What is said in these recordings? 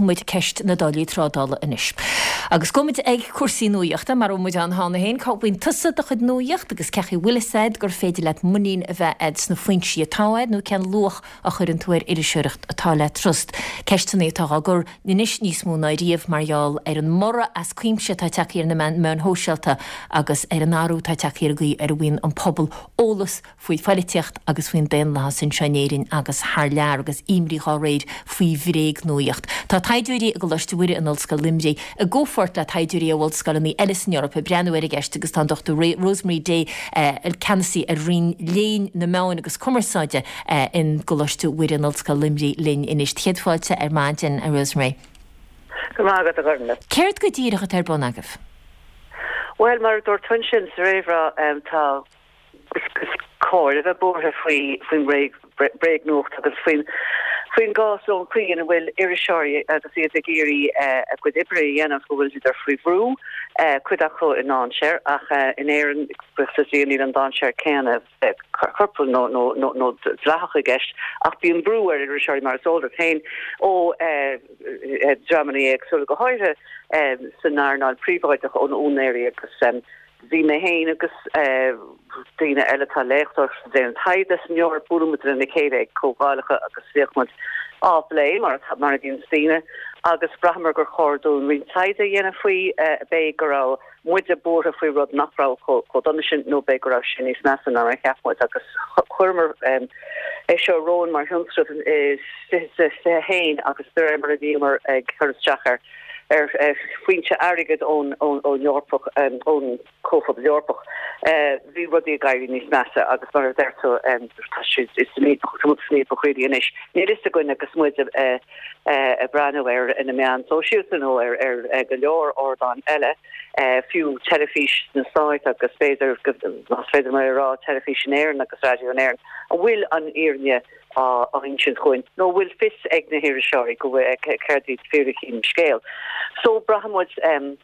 Fágfaidh muid ceist na dtáillí trádála anois. Agus gabhfaidh muid ag cúrsaí nuaíochta, mar a bhfuil muid ann cheana féin. Cá bhfaigheann tusa do chuid nuaíocht agus cén chaoi a bhfuil fhios a'd gur féidir leat muinín a bheith a'd sna foinsí atá a'd nó cén luach a chuireann tú ar iriseoireacht atá le trust? Ceisteanna atá á gcur anois níos mó ná riamh mar gheall ar an mborradh as cuimse atá tagtha ar na meáin shóisialta agus ar an athrú atá tagtha ar an gcaoi ar a bhfaigheann an pobal eolas faoi phoilitíocht agus faoin daonlathas anseo in Éirinn agus thar lear agus imní dhá réir faoi bhréagnuaíocht. Tá taighdeoirí i gColáiste Mhuire in Ollscoil Luimnigh i gcomhpháirt le taighdeoirí ó ollscoileanna eile san Eoraip ag breathnú ar an gceist agus tá an Dr Rosemary Day, ceannasaí ar Roinn Léinn na Meáin agus Cumarsáide in gColáiste Mhuire in Ollscoil Luimnigh linn anois. Céad fáilte ar maidin, a Rosemary. Go raibh maith agat, a Ghormfhlaith. Céard go díreach atá ar bun agaibh? Bhuel, mar a dúirt tú ansin sa réamhrá, tá. Is cóir a bheith buartha faoin bhréagnuacht agus faoin gcás nó an chaoi ina bhfuil iriseoirí agus iad ag iarraidh a gcuid oibre a dhéanamh, go bhfuil siad faoi bhrú, cuid acu i ndainséar, ach in Éirinn, buíochas le Dia, níl an dainséar céanna corprúil nó dleathach i gceist, ach bíonn brú ar iriseoirí, mar is eol duit féin, ó dhreamanna éagsúla, go háirithe san earnáil phríobháideach, ó na úinéirí agus. Bhí mé féin agus daoine eile atá ag léachtóireacht is ag déanamh taighde san Eoraip, buaileann muid lena chéile ag comhdhálacha agus bhíodh muid á bplé mar mar a bhíonns daoine agus bhraitheamar gur chóir dúinn roinnt taighde a dhéanamh faoi, b'fhéidir go raibh muide buartha faoi rud nach raibh chomh dona sin nó b'fhéidir go raibh sé níos measa ná mar a cheap muid agus chuireamar é seo romhainn mar thionscnamh i 2021 agus de réir mar a bhíomar ag cur isteach ar ar foinse airgid ón Eorpach, ón Comhphobal Eorpach, bhí rudaí ag éirí níos measa agus mar a deir tú, tá siad san fhaopach, tá muid san fhaopach really anois. Níl fhios againn agus muid ag breathnú ar na meáin sóisialta nó ar go leor ardáin eile, fiú teilifís sna Stáit agus b'fhéidir, más féidir liom é a rá, teilifís in Éirinn agus raidió in Éirinn, an bhfuil an fhírinne á insint chugainn, nó an bhfuil fios ag na hiriseoirí go bhfuil céard iad fíricí an scéil. So braitheann muid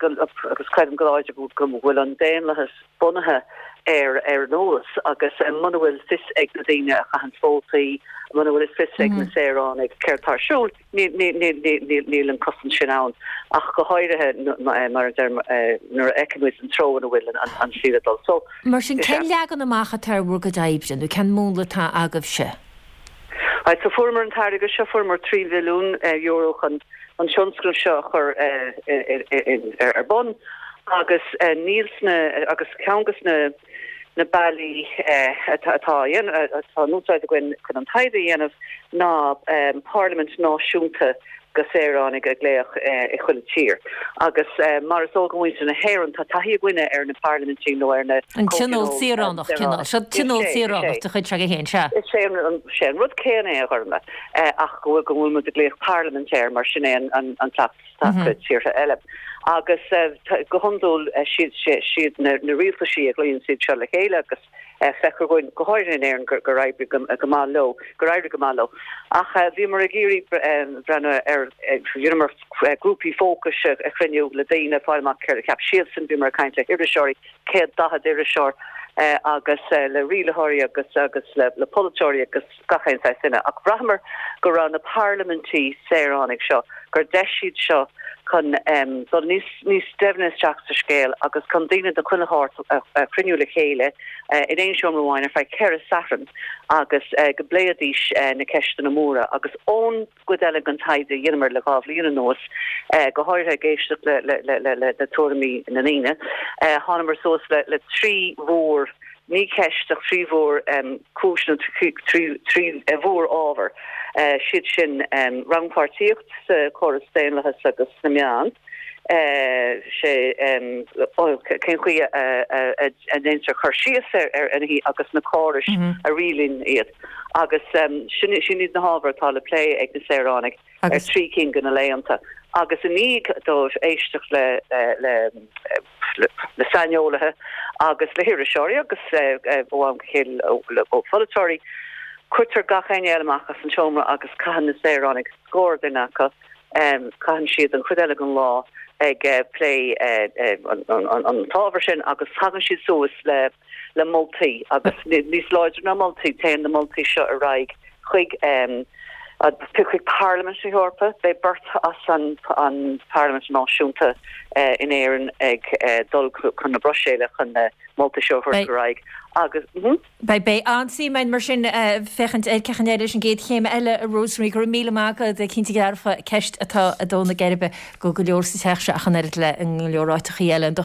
agus creidim go láidir go bhfuil an daonlathas bunaithe ar ar an eolas agus muna bhfuil fios ag na daoine a chaitheann vótaí, muna bhfuil fios ag na saoránaigh céard tá ar siúl, níl an cosaint sin ann ach go háirithe mar a deirim nuair a fheicimid an treo ina bhfuil an saol ag dul. So, Mar sin, cén leagan amach atá ar bhur gcuid oibre nó cén múnla atá agaibhse? Right, so fuaireamar an t-airgead seo, fuaireamar €3 mhilliún chun an tionscnamh seo a chur ar bun agus níl sna, agus ceann de na na bealaí atá atá in úsáid againn chun an taighde a dhéanamh ná parlaimint náisiúnta go saoránaigh a ghlaoch i chuile tír. Agus mar is eol go muintir na hÉireann, tá taithí againne ar na parlaimintí nó ar na An tionól saoránach, cineál. Seo tionól saoránach de chuid s'agaibh féin, sea. Is é an rud céanna é, a Ghormfhlaith, ach go bhfuil muid ag glaoch parlaimint air mar sin é an cleachtas atá i tíortha eile. Agus go hiondúil siad na rialtaisí a ghlaonn siad seo le chéile agus feictear dhúinn, go háirithe in Éirinn, gur oibrigh go maith leo, gur éirigh go maith leo. Ach bhíomar ag iarraidh breathnú ar, dheineamar grúpaí fócais a chruinniú le daoine, fáil amach céard a cheap siadsan, bhíomar ag caint le hiriseoirí, 140 iriseoir, agus le rialaitheoirí agus agus le polaiteoirí agus gach aon saghas duine. Ach bhraitheamar go raibh na parlaimintí saoránaigh seo, gur deis iad seo chun dul níos níos doimhne isteach sa scéal agus chun daoine de chuile shórt a chruinniú le chéile in aon seomra amháin ar feadh cheithre Satharn agus go bpléifidís na ceisteanna móra agus ón gcuid eile den taighde a dheineamar le 2 bhliain anuas, go háirithe ag éisteacht le tuairimí na ndaoine, thánamar suas le 3 mhór, ní ceist ach 3 mhór cúis nó 3 mhór ábhar, siad sin rannpháirtíocht sa chóras daonlathais agus sna meáin, sé cén chaoi a ndéantar cur síos ar nithe agus na córais a rialaíonn iad. Agus sin iad na hábhair atá le plé ag na saoránaigh ar thrí cinn de na laethanta. Agus i ndiaidh dóibh éisteacht le le saineolaithe agus le hiriseoirí agus ó am go chéile le polaiteoirí, cuirtear gach éinne eile amach as an seomra agus caitheann na saoránaigh, scór duine acu, caitheann siad an chuid eile den lá ag plé an t-ábhar sin agus tagann siad suas le le moltaí agus níos láidre ná moltaí, téann na moltaí seo ar aghaidh chuig an. Chuig Parlaimint na hEorpa, beidh beirt as an bParlaimint Náisiúnta in Éirinn ag dul chun na Bruiséile chun na moltaí seo a thabhairt ar aghaidh agus. Beidh, beidh an-suim ann mar sin féachaint ar cén chaoi a n-éireoidh leis an gcéad chéim eile, a Rosemary. Go raibh míle maith agat. Cinnte dearfa, ceist atá ag dó na geirbe go go leor sa teach seo ach an oiread le i go leor áiteachaí eile.